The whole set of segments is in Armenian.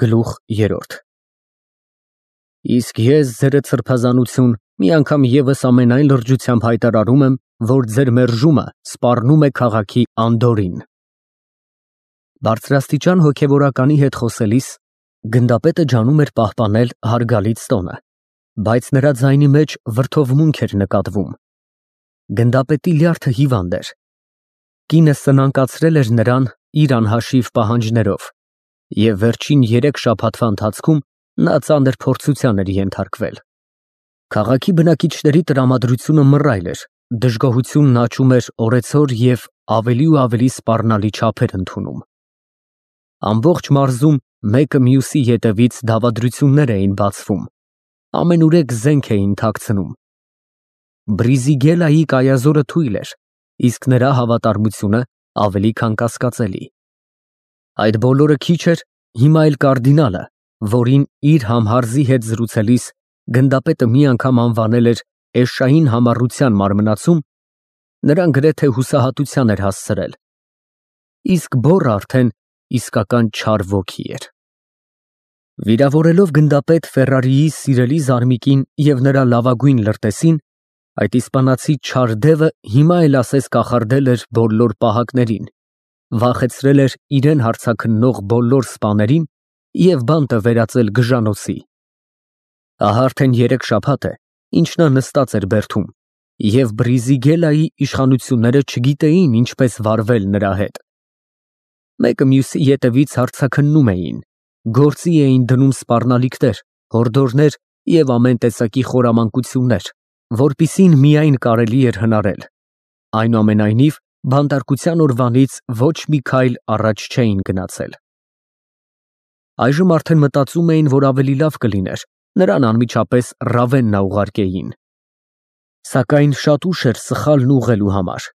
Գլուխ 3 Իսկ ես ձերդ սրբազանություն մի անգամ ևս ամենայն լրջությամբ հայտարարում եմ, որ ձեր մերժումը սպառնում է քաղաքի անդորրին։ Բարձրաստիճան հոգևորականի հետ խոսելիս գնդապետը ջանում էր պահպանել հարգալից տոնը, բայց նրա ձայնի մեջ վրդովմունք էր նկատվում։ Գնդապետի լյարդը հիվանդ էր։ Կինը սնանկացրել էր նրան իր անհաշիվ պահանջներով, և վերջին 3 շաբաթվա ընթացքում նա ծանր փորձության էր ենթարկվել։ Քաղաքի բնակիչների տրամադրությունը մռայլ էր, դժգոհությունն աճում էր օրեցօր և ավելի ու ավելի սպառնալի չափեր ընդունում։ Ամբողջ մարզում մեկը մյուսի ետևից դավադրություններ էին բացվում, ամենուրեք զենք էին թաքցնում։ Բրիզիգելայի կայազորը թույլ էր, իսկ նրա հավատարմությունը ավելի քան կասկածելի։ Այդ բոլորը քիչ էր, հիմա էլ կարդինալը, որին իր համհարզի հետ զրուցելիս գնդապետը մի անգամ անվանել էր էշային համառության մարմնացում, նրան գրեթե հուսահատության էր հասցրել։ Իսկ բոռը արդեն իսկական չար ոգի էր։ Վիրավորելով գնդապետ Ֆերրարիի սիրելի զարմիկին և նրա լավագույն լրտեսին, այդ իսպանացի չար դևը հիմա էլ ասես կախարդել էր բոլոր պահակներին, վախեցրել էր իրեն հարձաքննող բոլոր սպաներին և բանտը վերածել գժանոցի։ Ահա արդեն 3 շաբաթ է, ինչ նա նստած էր բերդում, և Բրիզիգելայի իշխանությունները չգիտեին ինչպես վարվել նրա հետ։ Մեկը մյուսի ետևից հարձաքննում էին, գործի էին դնում սպառնալիքներ, հորդորներ և ամեն տեսակի խորամանկություններ, որպիսին միայն կարելի էր հնարել։ Այնուամենայնիվ, բանտարկության օրվանից ոչ մի քայլ առաջ չէին գնացել։ Այժմ արդեն մտածում էին, որ ավելի լավ կլիներ նրան անմիջապես Ռավեննա ուղարկեին։ Սակայն շատ ուշ էր սխալն ուղղելու համար։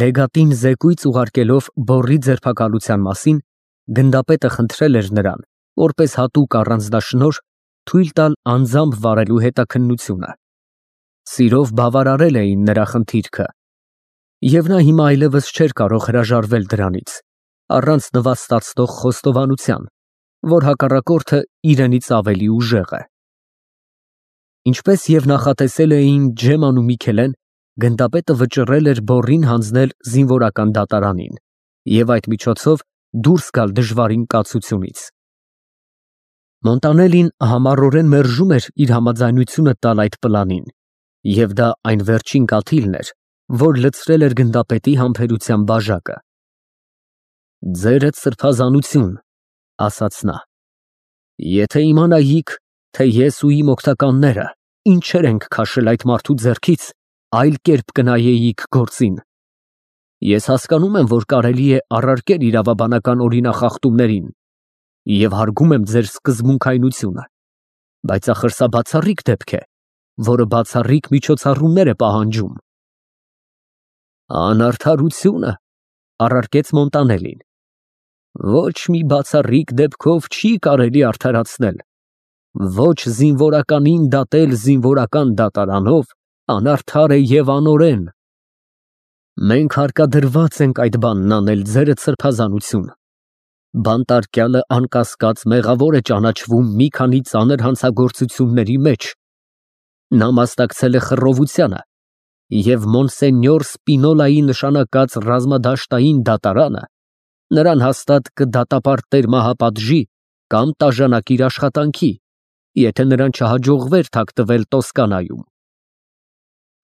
Լեգատին զեկույց ուղարկելով բոռի ձերբակալության մասին, գնդապետը խնդրել էր նրան, որպես հատուկ առանձնաշնորհ, թույլ տալ անձամբ վարելու հետաքննությունը։ Սիրով բավարարել էին նրա խնդիրքը, և նա հիմա այլևս չէր կարող հրաժարվել դրանից, առանց նվաստացնող խոստովանության, որ հակառակորդը իրենից ավելի ուժեղ է։ Ինչպես և նախատեսել էին Ջեման ու Միքելեն, գնդապետը վճռել էր բոռին հանձնել զինվորական դատարանին և այդ միջոցով դուրս գալ դժվարին կացությունից։ Մոնտանելին համառորեն մերժում էր իր համաձայնությունը տալ այդ պլանին, և դա այն վերջին կաթիլն էր, որ լցրել էր գնդապետի համբերության բաժակը։ «Ձերդ սրբազանություն», ասաց նա, «եթե իմանայիք, թե ես ու իմ օգնականները ինչեր ենք քաշել այդ մարդու ձեռքից, այլ կերպ կնայեիք գործին։ Ես հասկանում եմ, որ կարելի է առարկել իրավաբանական օրինախախտումներին և հարգում եմ ձեր սկզբունքայնությունը, բայց ախր սա բացառիկ դեպք է, որը բացառիկ միջոցառումներ է պահանջում»։ «Անարդարությունը», առարկեց Մոնտանելին, «ոչ մի բացառիկ դեպքով չի կարելի արդարացնել, ոչ զինվորականին դատել զինվորական դատարանով անարդար է և անօրեն։ Մենք հարկադրված ենք այդ բանն անել, ձերդ սրբազանություն։ Բանտարկյալը անկասկած մեղավոր է ճանաչվում մի քանի ծանր հանցագործությունների մեջ։ Նա մասնակցել է խռովությանը, և Մոնսենյոր Սպինոլայի նշանակած ռազմադաշտային դատարանը նրան հաստատ կդատապարտեր մահապատժի կամ տաժանակիր աշխատանքի, եթե նրան չհաջողվեր թաքնվել Տոսկանայում։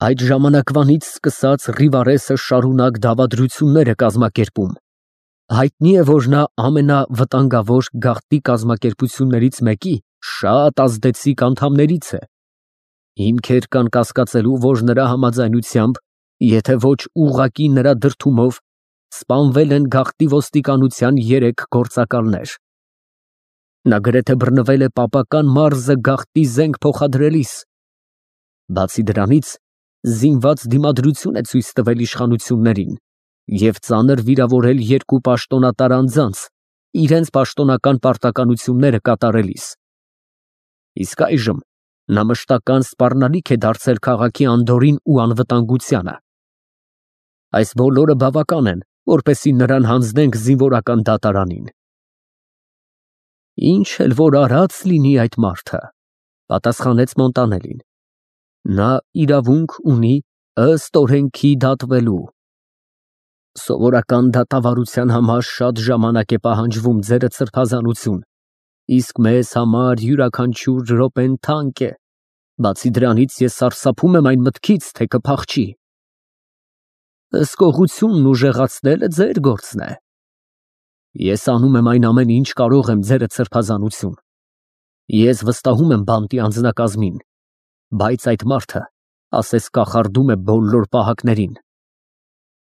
Այդ ժամանակվանից սկսած Ռիվարեսը շարունակ դավադրություններ է կազմակերպում։ Հայտնի է, որ նա ամենավտանգավոր գաղթի կազմակերպություններից մեկի շատ ազդեցիկ անդամներից է։ Հիմքեր կան կասկածելու, որ նրա համաձայնությամբ, եթե ոչ ուղղակի նրա դրդումով, սպանվել են գաղթի ոստիկանության 3 գործակալներ։ Նա գրեթե բռնվել է պապական մարզը գաղթի զենք փոխադրելիս։ Բացի դրանից, զինված դիմադրություն է ցույց տվել իշխանություններին և ծանր վիրավորել 2 պաշտոնատար անձանց իրենց պաշտոնական պարտականությունները կատարելիս։ Իսկ այժմ նա մշտական սպառնալիք է դարձել քաղաքի անդորրին ու անվտանգությանը։ Այս բոլորը բավական են, որպեսզի նրան հանձնենք զինվորական դատարանին։ Ինչ էլ որ արած լինի այդ մարդը, պատասխանեց Մոնտանելին, նա իրավունք ունի ըստ օրենքի դատվելու։ Սովորական դատավարության համար շատ ժամանակ է պահանջվում ձերդ սրբազանություն, իսկ մեզ համար յուրաքանչյուր րոպեն թանկ է, բացի դրանից ես սարսափում եմ այն մտքից, թե կփախչի։ Հսկողությունն ուժեղացնելը ձեր գործն է։ Ես անում եմ այն ամեն ինչ կարող եմ ձերդ սրբազանություն։ Ես վստահում եմ բանտի անձնակազմին, բայց այդ մարդը, ասես կախարդում է բոլոր պահակներին։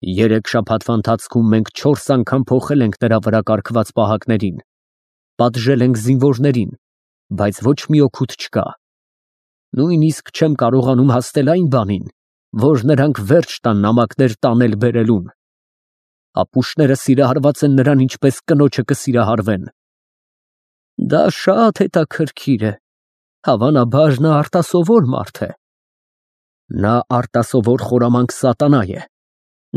3 շաբաթվա ընթացքում մենք 4 անգամ փոխել ենք նրա վրա կարգված պահակներին, պատժել ենք զինվորներին, բայց ոչ մի օգուտ չկա։ Նույնիսկ չեմ կարողանում հասնել այն բանին, որ նրանք վերջ տան նամակներ տանել բերելուն։ Ապուշները սիրահարված են նրան, ինչպես կնոջը կսիրահարվեն։ Դա շատ հետաքրքիր է, հավանաբար նա արտասովոր մարդ է։ Նա արտասովոր խորամանկ սատանա է։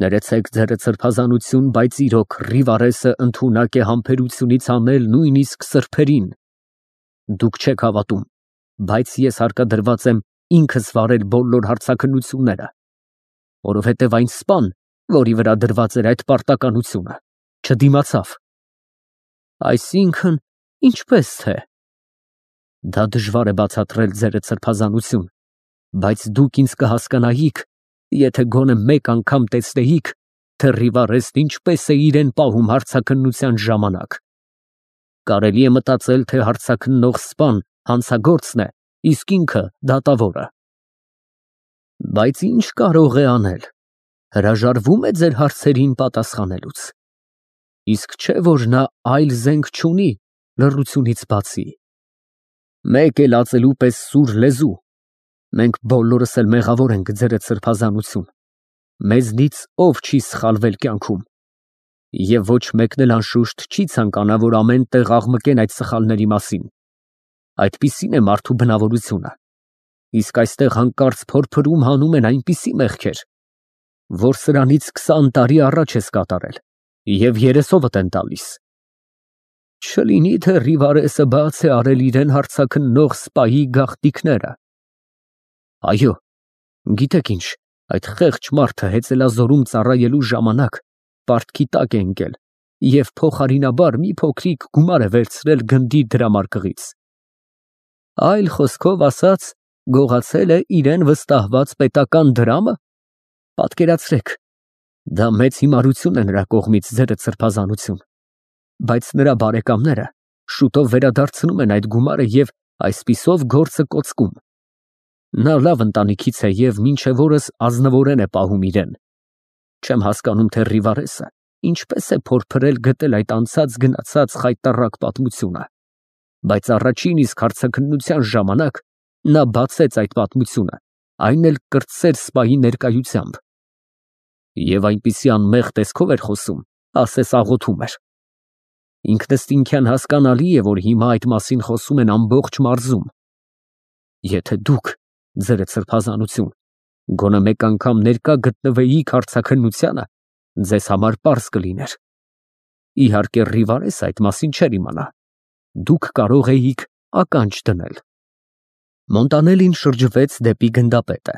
Ներեցեք ձերդ սրբազանություն, բայց իրոք Ռիվարեսը ընդունակ է համբերությունից անել նույնիսկ սրբերին։ Դուք չեք հավատում, բայց ես հարկադրված եմ ինքս վարել բոլոր հարցաքննությունները, որովհետև այն սպան, որի վրա դրված էր այդ պարտականությունը, չդիմացավ։ Այսինքն, ինչպես թե։ Դա դժվար է բացատրել ձերդ սրբազանություն, բայց դուք ինձ կհասկանայիք, եթե գոնե մեկ անգամ տեսնեիք, թե Ռիվարեսն ինչպես է իրեն պահում հարցաքննության ժամանակ։ Կարելի է մտածել, թե հարցաքննող սպան հանցագործն է, իսկ ինքը դատավորը։ Բայց ինչ կարող է անել։ Հրաժարվում է ձեր հարցերին պատասխանելուց։ Իսկ չէ որ նա այլ զենք չունի լռությունից բացի։ Մեկ էլ ածելու պես սուր լեզու։ Մենք բոլորս էլ մեղավոր ենք ձերդ սրբազանություն։ Մեզնից ով չի սխալվել կյանքում։ Եվ ոչ մեկն էլ անշուշտ չի ցանկանա, որ ամեն տեղ աղմկեն այդ սխալների մասին։ Այդպիսին է մարդու բնավորությունը։ Իսկ այստեղ հանկարծ փորփրում հանում են այնպիսի մեղքեր, որ սրանից 20 տարի առաջ ես կատարել, և երեսովդ են տալիս։ Չլինի թե Ռիվարեսը բաց է արել իրեն հարցաքննող սպայի գաղտնիքները։ Այո, գիտեք ինչ, այդ խեղճ մարդը հեծելազորում ծառայելու ժամանակ պարտքի տակ է ընկել և փոխարինաբար մի փոքրիկ գումար է վերցրել գնդի դրամարկղից։ Այլ խոսքով ասած, գողացել է իրեն վստահված պետական դրամը։ Պատկերացրեք, դա մեծ հիմարություն է նրա կողմից ձերդ սրբազանություն, բայց նրա բարեկամները շուտով վերադարձնում են այդ գումարը և այսպիսով գործը կոծկում։ Նա լավ ընտանիքից է և մինչև օրս ազնվորեն է պահում իրեն։ Չեմ հասկանում, թե Ռիվարեսը ինչպես է փորփրել գտել այդ անցած գնացած խայտառակ պատմությունը, բայց առաջին իսկ հարցաքննության ժամանակ նա բացեց այդ պատմությունը, այն էլ կրտսեր սպայի ներկայությամբ։ Եվ այնպիսի անմեղ տեսքով էր խոսում, ասես աղոթում էր։ Ինքնըստինքյան հասկանալի է, որ հիմա այդ մասին խոսում են ամբողջ մարզում։ Եթե դուք, ձերդ սրբազանություն, գոնե մեկ անգամ ներկա գտնվեիք հարցաքննությանը, ձեզ համար պարզ կլիներ։ Իհարկե Ռիվարեսը այդ մասին չէր իմանա։ Դուք կարող էիք ականջ դնել։ Մոնտանելին շրջվեց դեպի գնդապետը։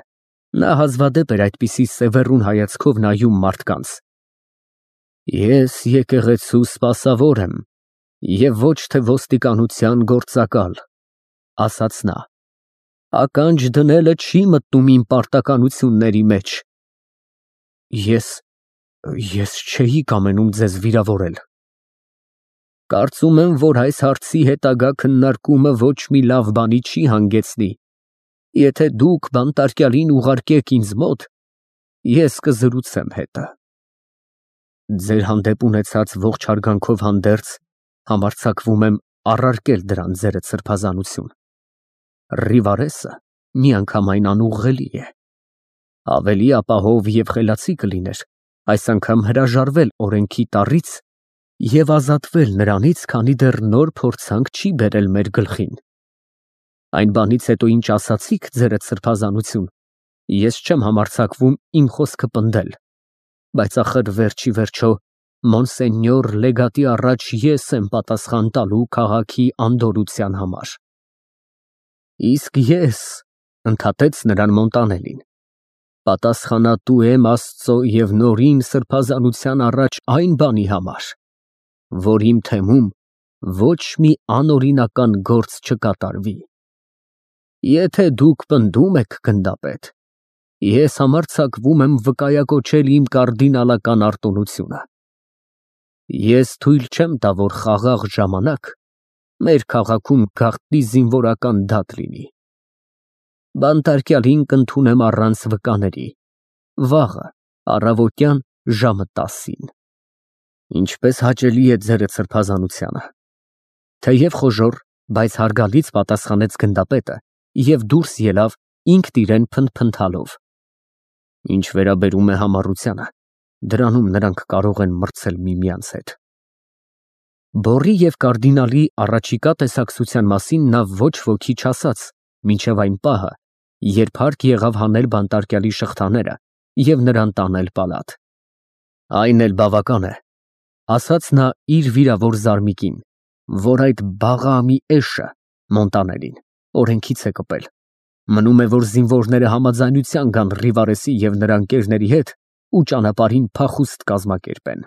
Նա հազվադեպ էր այդպիսի սևեռուն հայացքով նայում մարդկանց։ Ես եկեղեցու սպասավոր եմ, և ոչ թե ոստիկանության գործակալ, ասաց նա։ Ականջ դնելը չի մտնում իմ պարտականությունների մեջ։ Ես չէի կամենում ձեզ վիրավորել։ Կարծում եմ, որ այս հարցի հետագա քննարկումը ոչ մի լավ բանի չի հանգեցնի։ Եթե դուք բանտարկյալին ուղարկեք ինձ մոտ, ես կզրուցեմ հետը։ Ձեր հանդեպ ունեցած ողջ հարգանքով հանդերձ համարձակվում եմ առարկել դրան ձերդ սրբազանություն։ Ռիվարեսը միանգամայն անուղղելի է։ Ավելի ապահով և խելացի կլիներ այս անգամ հրաժարվել օրենքի տառից և ազատվել նրանից, քանի դեռ նոր փորձանք չի բերել մեր գլխին։ Այն բանից հետո, ինչ ասացիք ձերդ սրբազանություն, ես չեմ համարձակվում իմ խոսքը պնդել, բայց ախր վերջի վերջո Մոնսենյոր լեգատի առաջ ես եմ պատասխան տալու քաղաքի անդորրության համար։ Իսկ ես, ընդհատեց նրան Մոնտանելին, պատասխանատու եմ Աստծո և նորին սրբազանության առաջ այն բանի համար, որ իմ թեմում ոչ մի անօրինական գործ չկատարվի։ Եթե դուք պնդում եք, գնդապետ, ես համարձակվում եմ վկայակոչել իմ կարդինալական արտոնությունը։ Ես թույլ չեմ տա, որ խաղաղ ժամանակ մեր քաղաքում գաղտնի զինվորական դատ լինի։ Բանտարկյալին կընդունեմ առանց վկաների, վաղը, առավոտյան ժամը 10-ին։ Ինչպես հաճելի է ձերդ սրբազանությանը։ Թեև խոժոռ, բայց հարգալից պատասխանեց գնդապետը և դուրս ելավ ինքն իրեն փնթփնթալով։ Ինչ վերաբերում է համառությանը, դրանում նրանք կարող են մրցել միմյանց հետ։ Բոռի և կարդինալի առաջիկա տեսակցության մասին նա ոչ ոքի չասաց մինչև այն պահը, երբ հարկ եղավ հանել բանտարկյալի շղթաները և նրան տանել պալատ։ Այն էլ բավական է, ասաց նա իր վիրավոր զարմիկին, որ այդ բաղամի էշը Մոնտանելին օրենքից է կպել։ Մնում է, որ զինվորները համաձայնության գան Ռիվարեսի և նրա ընկերների հետ ու ճանապարհին փախուստ կազմակերպեն։